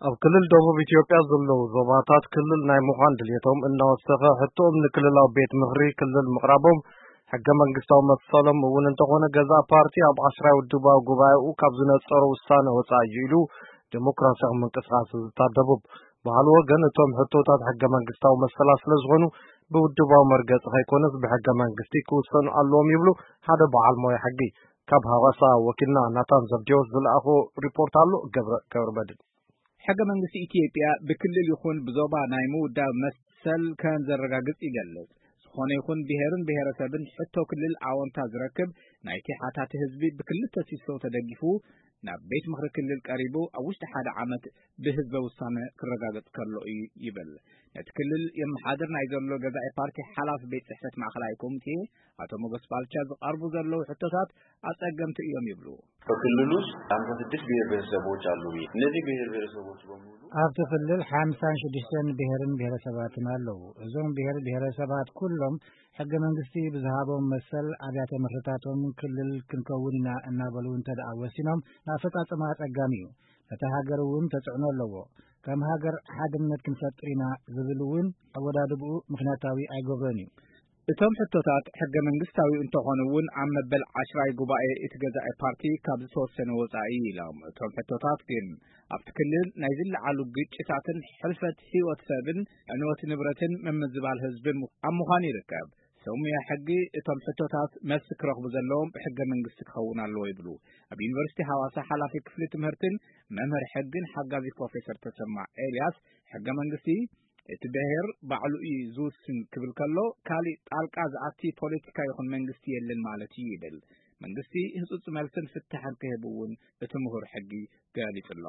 ኣብ ክልል ደቡብ ኢትዮጵያ ዘለዉ ዞባታት ክልል ናይ ምዃን ድልየቶም እናወሰኸ ሕቶኦም ንክልላዊ ቤት ምኽሪ ክልል ምቕራቦም ሕገ መንግስታዊ መሰሎም እውን እንተኾነ ገዛ ፓርቲ ኣብ ዓስራይ ውድባዊ ጉባኤኡ ካብ ዝነጸሮ ውሳነ ወጻኢ እዩ ኢሉ ዴሞክራሲያዊ ምንቅስቃስ ዝታደቡ በሃል ወገን እቶም ሕቶታት ሕገ መንግስታዊ መሰላት ስለ ዝኾኑ ብውድባዊ መርገጺ ከይኮነስ ብሕገ መንግስቲ ክውሰኑ ኣለዎም ይብሉ ሓደ በዓል ሞያ ሕጊ። ካብ ሃዋሳ ወኪልና ናታን ዘብዴዎስ ዝለኣኾ ሪፖርት ኣሎ። ገብረ ገብረ መድን። ሕገ መንግስቲ ኢትዮጵያ ብክልል ይኹን ብዞባ ናይ ምውዳብ መሰል ከም ዘረጋግጽ ይገልጽ። ዝኾነ ይኹን ብሔርን ብሔረሰብን ሕቶ ክልል ኣወንታ ዝረክብ ናይቲ ሓታቲ ህዝቢ ብክልተ ሲሶ ተደጊፉ ናብ ቤት ምኽሪ ክልል ቀሪቡ ኣብ ውሽጢ ሓደ ዓመት ብህዝበ ውሳነ ክረጋገጽ ከሎ እዩ ይብል። ነቲ ክልል የመሓድር ናይ ዘሎ ገዛኢ ፓርቲ ሓላፊ ቤት ጽሕፈት ማእኸላይ ኮሚቴ ኣቶ ሞገስ ባልቻ ዝቐርቡ ዘለዉ ሕቶታት ኣጸገምቲ እዮም ይብሉ። በክልሉ ውስጥ ሃምሳ ስድስት ብሔር ብሔረሰቦች አሉ። እነዚህ ብሔር ብሔረሰቦች በሙሉ ኣብቲ ክልል ሓምሳን ሽዱሽተን ብሔርን ብሔረሰባትን ኣለዉ። እዞም ብሔር ብሔረሰባት ኩሎም ሕገ መንግስቲ ብዝሃቦም መሰል ኣብያተ ምኽርታቶም ክልል ክንከውን ኢና እናበሉ እንተ ደኣ ወሲኖም ንኣፈጻጽማ ኣጸጋሚ እዩ። ነታ ሃገር እውን ተጽዕኖ ኣለዎ። ከም ሃገር ሓድነት ክንፈጥር ኢና ዝብል እውን ኣወዳድብኡ ምኽንያታዊ ኣይገብሮን እዩ። እቶም ሕቶታት ሕገ መንግስታዊ እንተኾኑ እውን ኣብ መበል ዓስራይ ጉባኤ እቲ ገዛኢ ፓርቲ ካብ ዝተወሰነ ወጻኢ ኢሎም። እቶም ሕቶታት ግን ኣብቲ ክልል ናይ ዝለዓሉ ግጭታትን ሕልፈት ህይወት ሰብን ዕንወት ንብረትን ምምዝባል ህዝብን ኣብ ምዃን ይርከብ። ሰብ ሙያ ሕጊ እቶም ሕቶታት መልሲ ክረኽቡ ዘለዎም ብሕገ መንግስቲ ክኸውን ኣለዎ ይብሉ። ኣብ ዩኒቨርሲቲ ሃዋሳ ሓላፊ ክፍሊ ትምህርትን መምህር ሕግን ሓጋዚ ፕሮፌሰር ተሰማ ኤልያስ ሕገ መንግስቲ እቲ ብሔር ባዕሉ እዩ ዝውስን ክብል ከሎ ካሊእ ጣልቃ ዝኣቲ ፖለቲካ ይኹን መንግስቲ የለን ማለት እዩ ይብል። መንግስቲ ህጹጽ መልስን ፍታሕን ክህብ እውን እቲ ምሁር ሕጊ ገሊጹ ኣሎ።